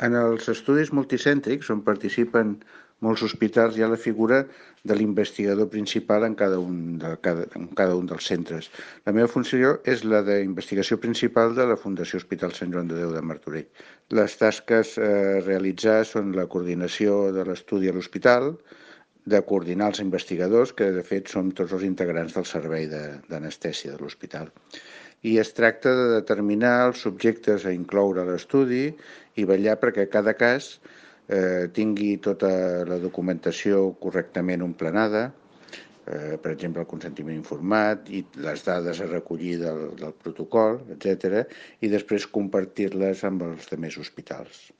En els estudis multicèntrics, on participen molts hospitals, hi ha la figura de l'investigador principal en cada un dels centres. La meva funció és la d'investigació principal de la Fundació Hospital Sant Joan de Déu de Martorell. Les tasques a realitzar són la coordinació de l'estudi a l'hospital, de coordinar els investigadors, que de fet són tots els integrants del servei d'anestèsia de l'hospital. I es tracta de determinar els subjectes a incloure a l'estudi i vetllar perquè cada cas tingui tota la documentació correctament emplenada, per exemple, el consentiment informat i les dades a recollir del protocol, etc., i després compartir-les amb els altres hospitals.